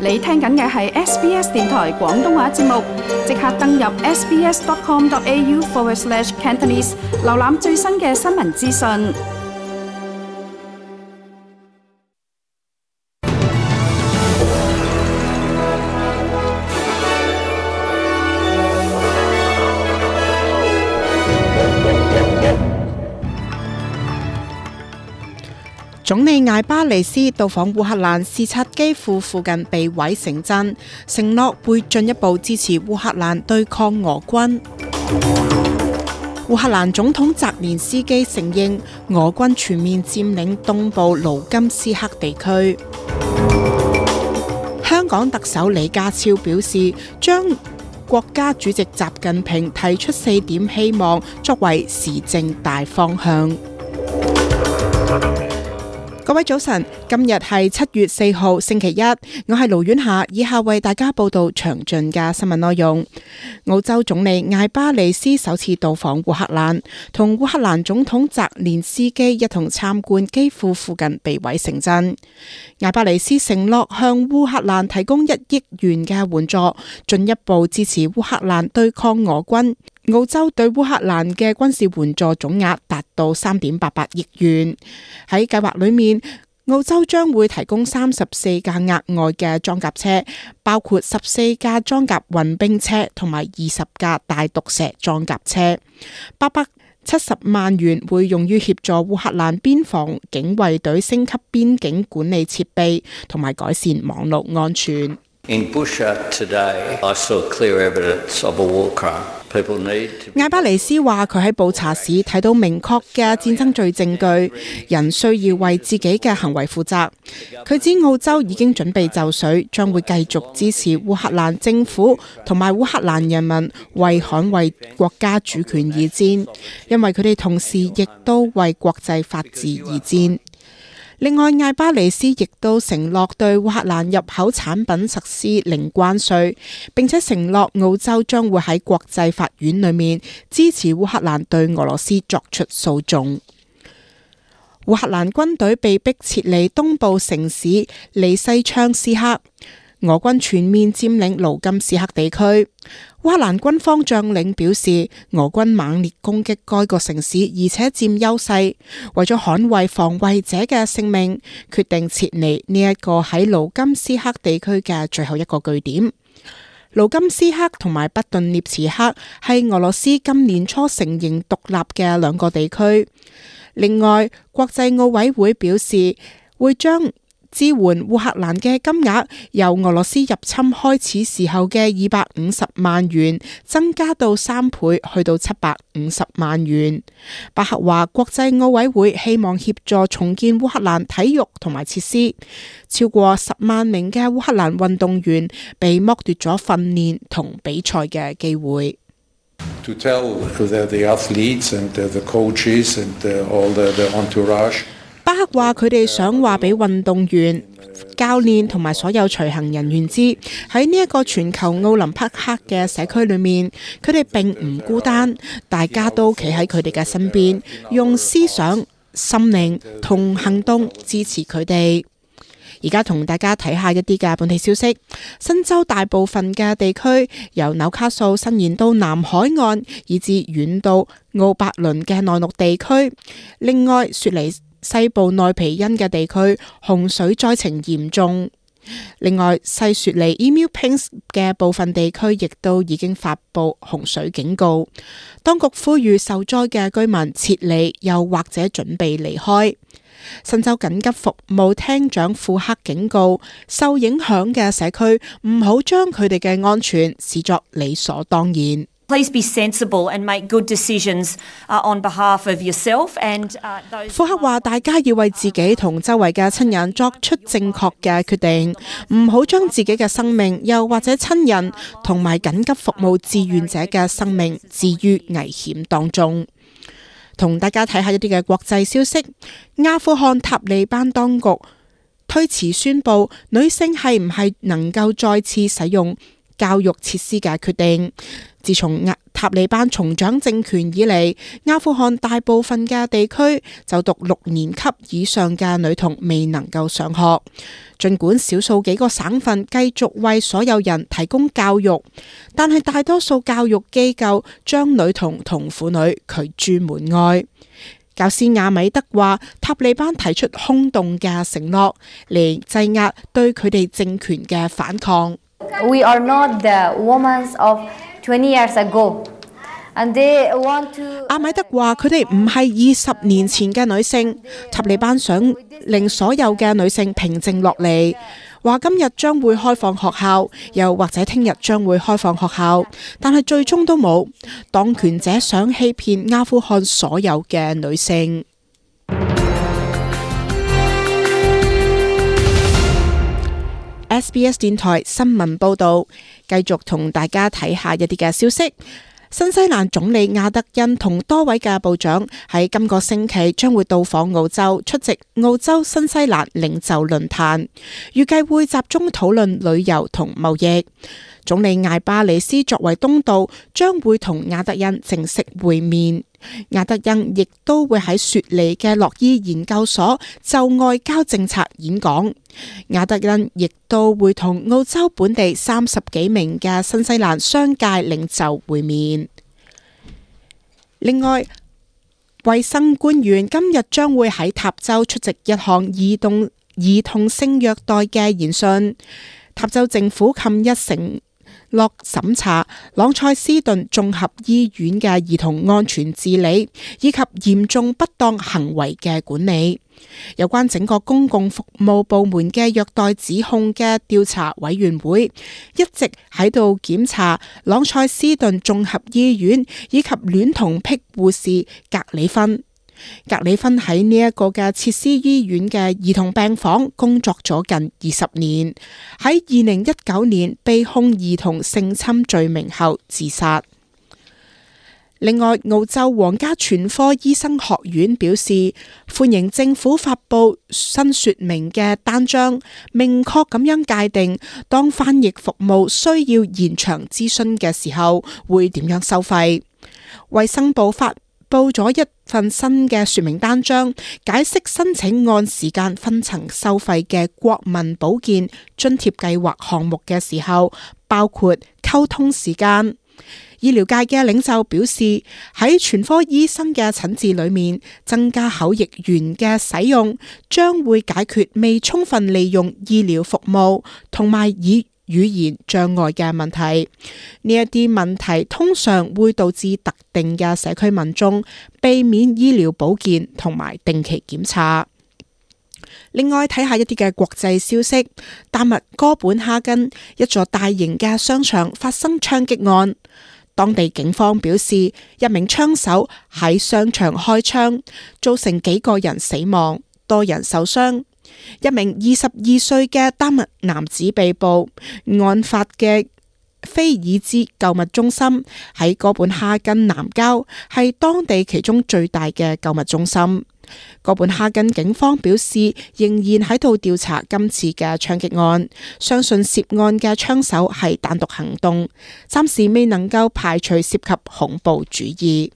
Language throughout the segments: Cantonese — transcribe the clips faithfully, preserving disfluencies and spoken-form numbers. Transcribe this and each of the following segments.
你聽緊嘅係 S B S 電台廣東話節目，即刻登入 sbs.com.au forward slash Cantonese， 瀏覽最新嘅新聞資訊。總理艾巴尼斯到訪烏克蘭，視察基輔附近被毀城鎮，承諾會進一步支持烏克蘭對抗俄軍。烏克蘭總統澤連斯基承認俄軍全面佔領東部盧甘斯克地區。香港特首李家超表示，將國家主席習近平提出四點希望作為時政大方向。各位早晨，今日係七月四號星期一，我係盧婉霞，以下為大家報道詳盡嘅新聞內容。澳洲總理艾巴尼斯首次到訪烏克蘭，同烏克蘭總統澤連斯基一同參觀基輔附近被毀城鎮。艾巴尼斯承諾向烏克蘭提供一億元嘅援助，進一步支持烏克蘭對抗俄軍。澳洲對烏克蘭嘅軍事援助總額達到三點八八億元。喺計劃裏面，澳洲將會提供三十四架額外嘅裝甲車，包括十四架裝甲運兵車同埋二十架大毒蛇裝甲車。八百七十萬元會用於協助烏克蘭邊防警衛隊升級邊境管理設備同埋改善網絡安全。In Bushehr today, I saw clear evidence of a war crime. 艾巴尼斯話佢喺布查市睇到明確嘅戰爭罪證據，人需要為自己嘅行為負責。佢指澳洲已經準備就緒，將會繼續支持烏克蘭政府同埋烏克蘭人民為捍衛國家主權而戰，因為佢哋同時亦都為國際法治而戰。另外，艾巴尼斯亦都承諾對烏克蘭入口產品實施零關稅，並且承諾澳洲將會喺國際法院裏面支持烏克蘭對俄羅斯作出訴訟。烏克蘭軍隊被迫撤離東部城市利西昌斯克，俄軍全面佔領盧甘斯克地區。烏克蘭軍方將領表示，俄軍猛烈攻擊該個城市，而且佔優勢，為咗捍衛防衛者嘅性命，決定撤離呢一個喺盧甘斯克地區嘅最後一個據點。盧甘斯克同埋北頓涅茨克係俄羅斯今年初承認獨立嘅兩個地區。另外，國際奧委會表示會將支援烏克蘭嘅金額由俄羅斯入侵開始時候嘅二百五十萬元增加到三倍，去到七百五十萬元。巴克話，國際奧委會希望協助重建烏克蘭體育同埋設施。超過十萬名嘅烏克蘭運動員被剝奪咗訓練同比賽嘅機會。To tell the, the athletes and the, the coaches and the, all the, the entourage。巴克話佢哋想話俾運動員、教練同埋所有隨行人員知，喺呢一個全球奧林匹克嘅社區裏面，佢哋並唔孤單，大家都企喺佢哋嘅身邊，用思想、心靈同行動支持佢哋。而家同大家睇下一啲嘅本地消息。新州大部分嘅地區，由紐卡素伸延到南海岸，以至遠到奧伯倫嘅內陸地區。另外，雪梨西部內皮恩嘅地區洪水災情嚴重。另外，西雪梨 Emu Pinks 嘅部分地區亦都已經發布洪水警告。當局呼籲受災嘅居民撤離，又或者準備離開。新州緊急服務廳長庫克警告，受影響嘅社區唔好將佢哋嘅安全視作理所當然。Please be sensible and make good decisions on behalf of yourself and those。庫克話：大家要為自己同周圍嘅親人作出正確嘅決定，唔好將自己嘅生命，又或者親人同埋緊急服務志願者嘅生命置於危險當中。同大家睇下一啲嘅國際消息。阿富汗塔利班當局推遲宣布女性係唔係能夠再次使用教育設施嘅決定。自從塔利班重掌政權以嚟，阿富汗大部分嘅地區就讀六年級以上嘅女童未能夠上學。儘管少數幾個省份繼續為所有人提供教育，但係大多數教育機構將女童同婦女拒諸門外。教師阿米德話，塔利班提出空洞嘅承諾嚟制壓對佢哋政權嘅反抗。We are not the women of twenty years ago, and they want to. 阿米德話：佢哋唔係二十年前嘅女性，塔利班想令所有嘅女性平靜落嚟。話今日將會開放學校，又或者聽日將會開放學校，但係最終都冇。當權者想欺騙阿富汗所有嘅女性。S B S 電台新聞報道，繼續同大家睇下一啲嘅消息。新西蘭總理亞德恩同多位嘅部長喺今個星期將會到訪澳洲，出席澳洲新西蘭領袖論壇，預計會集中討論旅遊同貿易。總理艾巴里斯作為東道，將會同亞德恩正式會面。亞德恩亦都會喺雪梨嘅洛伊研究所就外交政策演講。亞德恩亦都會同澳洲本地三十幾名嘅新西蘭商界領袖會面。另外，衛生官員今日將會喺塔州出席一項兒童兒童性虐待嘅研訊。塔州政府近日承落審查朗塞斯頓綜合醫院嘅兒童安全治理以及嚴重不當行為嘅管理。有關整個公共服務部門嘅虐待指控嘅調查委員會一直喺度檢查朗塞斯頓綜合醫院以及戀童癖護士格里芬。格里芬喺呢一個嘅設施醫院嘅兒童病房工作咗近二十年，喺二零一九年被控兒童性侵罪名後自殺。另外，澳洲皇家全科醫生學院表示歡迎政府發布新說明嘅單張，明確咁樣界定當翻譯服務需要延長諮詢嘅時候會點樣收費。衛生部發報咗一份新嘅說明單張，解釋申請按時間分層收費嘅國民保健津貼計劃項目嘅時候，包括溝通時間。醫療界嘅領袖表示，喺全科醫生嘅診治裏面，增加口譯員嘅使用，將會解決未充分利用醫療服務同埋以語言障礙嘅問題。呢一啲問題通常會導致特定嘅社區民眾避免醫療保健同埋定期檢查。另外，睇下一啲嘅國際消息，丹麥哥本哈根一座大型嘅商場發生槍擊案，當地警方表示一名槍手喺商場開槍，造成幾個人死亡，多人受傷。一名二十二歲嘅丹麥男子被捕。案發嘅菲爾茲購物中心喺哥本哈根南郊，係當地其中最大嘅購物中心。哥本哈根警方表示仍然喺度調查今次嘅槍擊案，相信涉案嘅槍手係單獨行動，暫時未能夠排除涉及恐怖主義。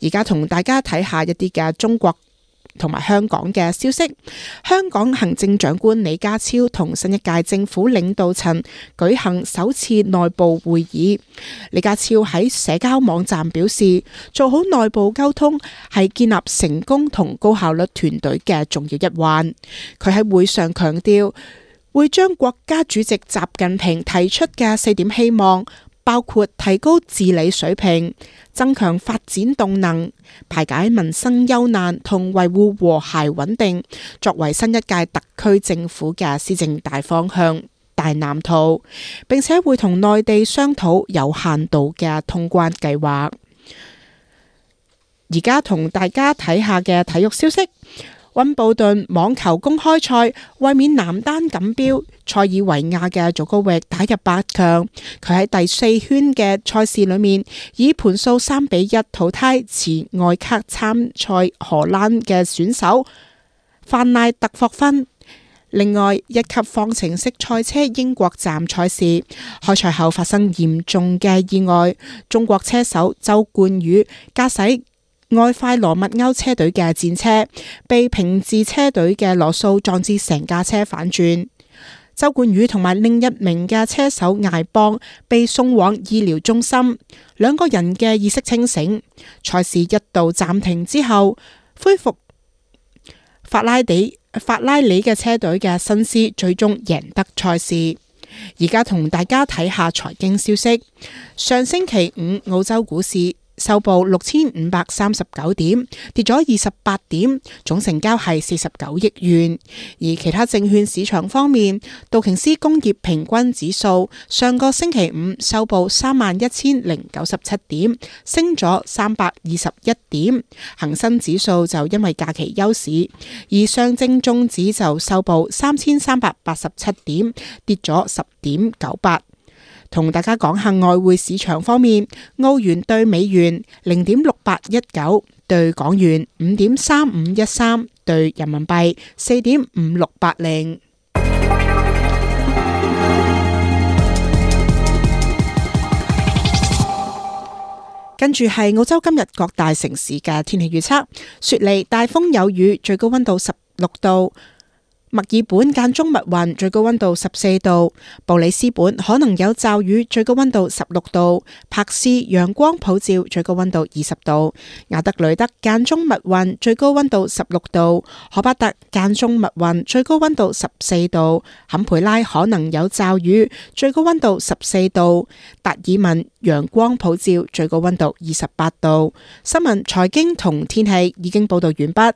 而家同大家睇下一啲嘅中國同埋香港嘅消息。香港行政長官李家超同新一屆政府領導層舉行首次內部會議。李家超喺社交網站表示，做好內部溝通係建立成功同高效率團隊嘅重要一環。佢喺會上強調，會將國家主席習近平提出嘅四點希望，包括提高治理水平、增強發展動能、排解民生憂難同維護和諧穩定，作為新一屆特區政府嘅施政大方向、大藍圖，並且會同內地商討有限度嘅通關計劃。而家同大家睇下嘅體育消息。溫布頓網球公開賽衛冕男單錦標，塞爾維亞嘅祖高域打入八強。佢喺第四圈嘅賽事裏面，以盤數三比一淘汰持外卡參賽荷蘭嘅選手范賴特霍芬。另外，一級方程式賽車英國站賽事開賽後發生嚴重嘅意外，中國車手周冠宇駕駛愛快羅密歐車隊嘅戰車，被平治車隊嘅羅素撞至成架車反轉。周冠宇同埋另一名嘅車手艾邦被送往醫療中心，兩個人嘅意識清醒。賽事一度暫停之後，恢復。法拉底法拉利嘅車隊嘅辛斯最終贏得賽事。而家同大家睇下財經消息。上星期五澳洲股市收報六千五百三十九點，跌咗二十八點，總成交係四十九億元。而其他證券市場方面，道瓊斯工業平均指數上個星期五收報三萬一千零九十七點，升咗三百二十一點。恒生指數就因為假期休市，而上證綜指就收報三千三百八十七點，跌咗十點九八。同大家講下外匯市場方面，澳元兌美元零點六八一九，兌港元五點三五一三，兌人民幣四點五六八零。跟住係澳洲今日各大城市嘅天氣預測：雪梨大風有雨，最高溫度十六度。墨爾本間中密雲，最高溫度十四度；布里斯本可能有驟雨，最高溫度十六度；柏斯陽光普照，最高溫度二十度；亞德雷德間中密雲，最高溫度十六度；荷巴特間中密雲，最高溫度十四度；坎培拉可能有驟雨，最高溫度十四度；達爾文陽光普照，最高溫度二十八度。新聞、財經同天氣已經報道完畢。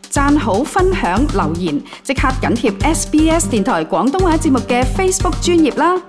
讚好、分享、留言，即刻緊貼 S B S 電台廣東話節目嘅 Facebook 專頁啦！